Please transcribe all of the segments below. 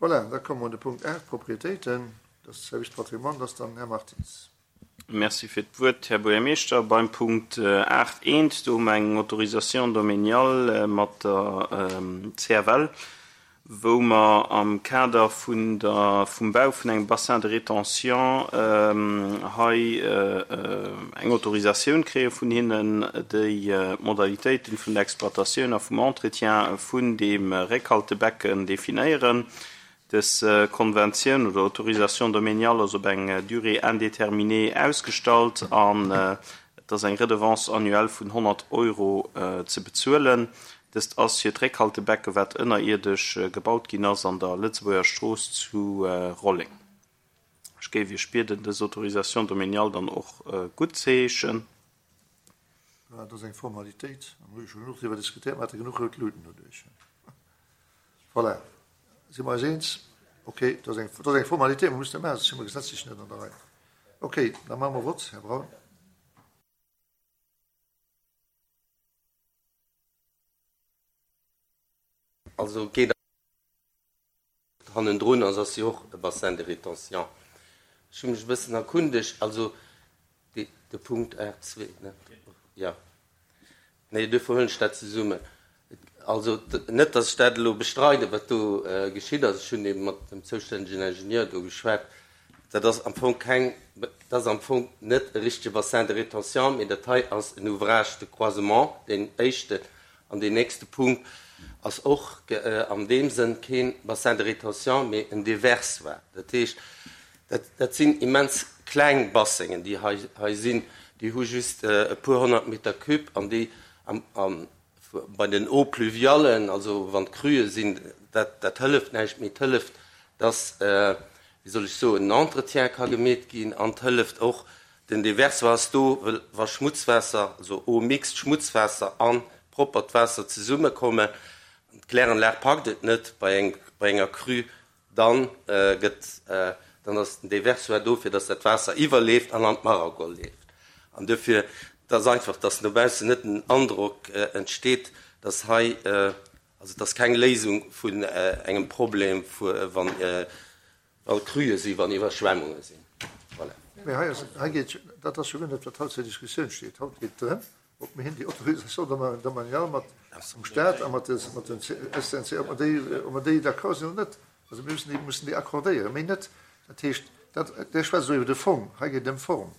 Voilà, da komme mer un de Punkt 8, Propriétéiten. Dat ass de Service Patrimoine, dat ass dann den Här Martins. Merci fir d'Wuert, Här Buergermeeschter. Beim Punkt 8 eent, do hu mer eng Autorisation domaniale mat der CFL, wou mer am Kader vun der, vum Bau vun engem Bassin de rétention hei eng Autorisatioun kréie vun hinnen, déi d'Modalitéiten vun der Exploitatioun a vum Entretien vun deem Réckhaltebecken definéieren. Dës Konventioun oder Autorisation domaniale ass op eng Durée indéterminée ausgestallt an et ass eng Redevance annuelle vun 100 Euro ze bezuelen. Dëst ass fir d'Réckhaltebecke wat ënnerierdesch gebaut ginn ass an der Lëtzebuerger Strooss zu Rolleng. Ech géif Iech bieden, dës Autorisation domaniale dann och guttzeheeschen. Dat ass eng Formalitéit, an hu jo scho genuch driwwer diskutéiert, mer hate genuch rout Luuten doduerch. Voilà, si mer eis eens? Ok, dat ass eng, dat ass eng Formalitéit, mer mussen dat maachen, soss si mer gesetzlech net an der Rei. Ok, da maache mer Vott. Här Braun. Also geet hannendrun ass, ass jo och e Bassin de rétention. Ech hu mech e bëssen erkundegt, also de, de Punkt 8,2, ne? Jo. Nee, duerfir huelen ech dat zesummen. Also net, datt ech dat elo bestreiden, wat do geschitt ass. Ech hunn ebe mat dem zoustännegen Ingenieur do geschwat. Dat ass am Fong keng, dat ass am Fong net e richtege Bassin de rétention, mee dat hei ass en Ouvrage de croisement, deen éischten. An deen nächste Punkt ass och an deem Sënn kee Bassin de rétention, mee en Déversoir. Dat heescht, dat, dat sinn immens kleng Bassengen, déi hei, hei sinn. Déi hu just e puer 100 Meter cube an déi am, am, bei den Eaux pluviallen, also wann d'Cruen sinn, dat, dat hëlleft näischt, mee et hëlleft, dass, wéi soll ech soen, en Entretien ka gemeet ginn an et hëlleft och, Den Déversoir ass do, wëll wa Schmutzwaasser, also Eau mixte, Schmutzwaasser an proppert Waasser zesummekommen, an d'Kläranlag packt et net bei eng, bei enger Crue, dann gëtt, dann ass den Déversoir do, fir dass dat Waasser iwwerleeft an an d'Maragol leeft. An duerfir, et ass einfach, dass no baussen net den Androck entsteet, dass hei, also et ass keng Léisung vun engem Problem, vu wann, Wa Cruen sinn, wann Iwwerschwemmunge sinn. Voilà. Mee hei ass, hei geet, dat ass jo guer net, wat haut zur Diskussioun steet. Haut geet et drëm, ob mir hin déi Autorisation domaniale mat dem Stat a mat de, mat den SNC, ob mer déi, ob mer déi d'accord sinn oder net. Also mir müssen déi, mussen déi accordéieren, méi net. Dat heescht, dat, Dir schwätzt elo iwwer de Fong, hei geet et ëm d'Form.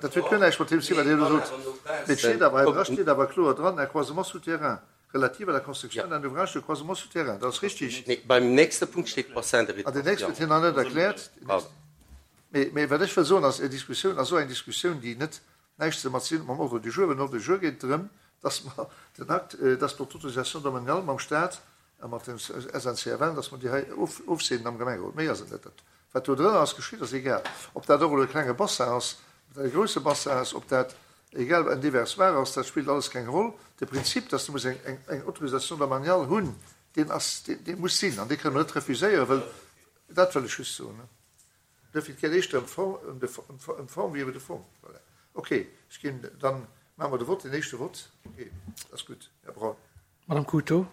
Dat huet guer näischt mat deem ze dinn, wat Dir elo sot. Mee et steet awer hei dra steet awer kloer dran, un croisement souterrain relatif à la construction d'un ouvrage de croisement souterrain. Dat ass richtig. Nee, beim nächste Punkt steet Bassin de rétention. Ah, deen nächste huet hien nach net erkläert. Mee, mee wat ech wëll soen ass, Är Diskussioun ass esou eng Diskussioun, déi net näischt ze mat sinn mam Ordre du jour. Well den Ordre du jour geet drëm, dass mer den Akt, dass mer d'Autorisation domaniale mam Stat a mat dem SNCFL, dass mer déi hei ofseenen am Gemengerot. Méi ass et net. Dat, wat do drënner ass geschitt, ass egal. Ob dat och elo e klenge Bassin ass, ob dat e grousse Bassin ass, ob dat egal en Déversoir ass, dat spillt alles keng Roll. De Prinzip, dass du muss eng, eng, eng Autorisation domaniale hunn, deen ass, deen, dee muss sinn an dee kënne mer net refuséieren, wëll, dat wëll ech just soen. Duerfir, et geet éischter ëm d'Form, ëm de, ëm d'Form wéi iwwer de Fong. Voilà. Ok, ech ginn, dann maache mer de Vott, deen éischte Vott. Ok, dat ass gutt. Här Braun. Madame Couto,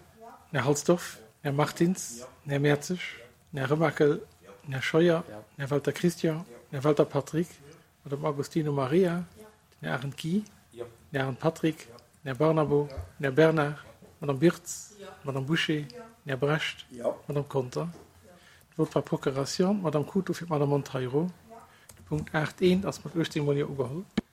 Här Halsdorf, Här Martins, Här Mertzig, Här Remakel, Här Scheuer, Här Welter Christian, Här Welter Patrick, Madame Agostino Maria, den Här Arendt Guy, den Här Arendt Patrick, den Här Barnabo, den Här Bernard, d'Madame Birtz, d'Madame Bouché, den Här Brecht, d'Madame Conter. De Vote par procuration, d'Madame Couto fir d'Madame Monteiro. De Punkt 8 I ass mat 18 Mol Jo ugeholl.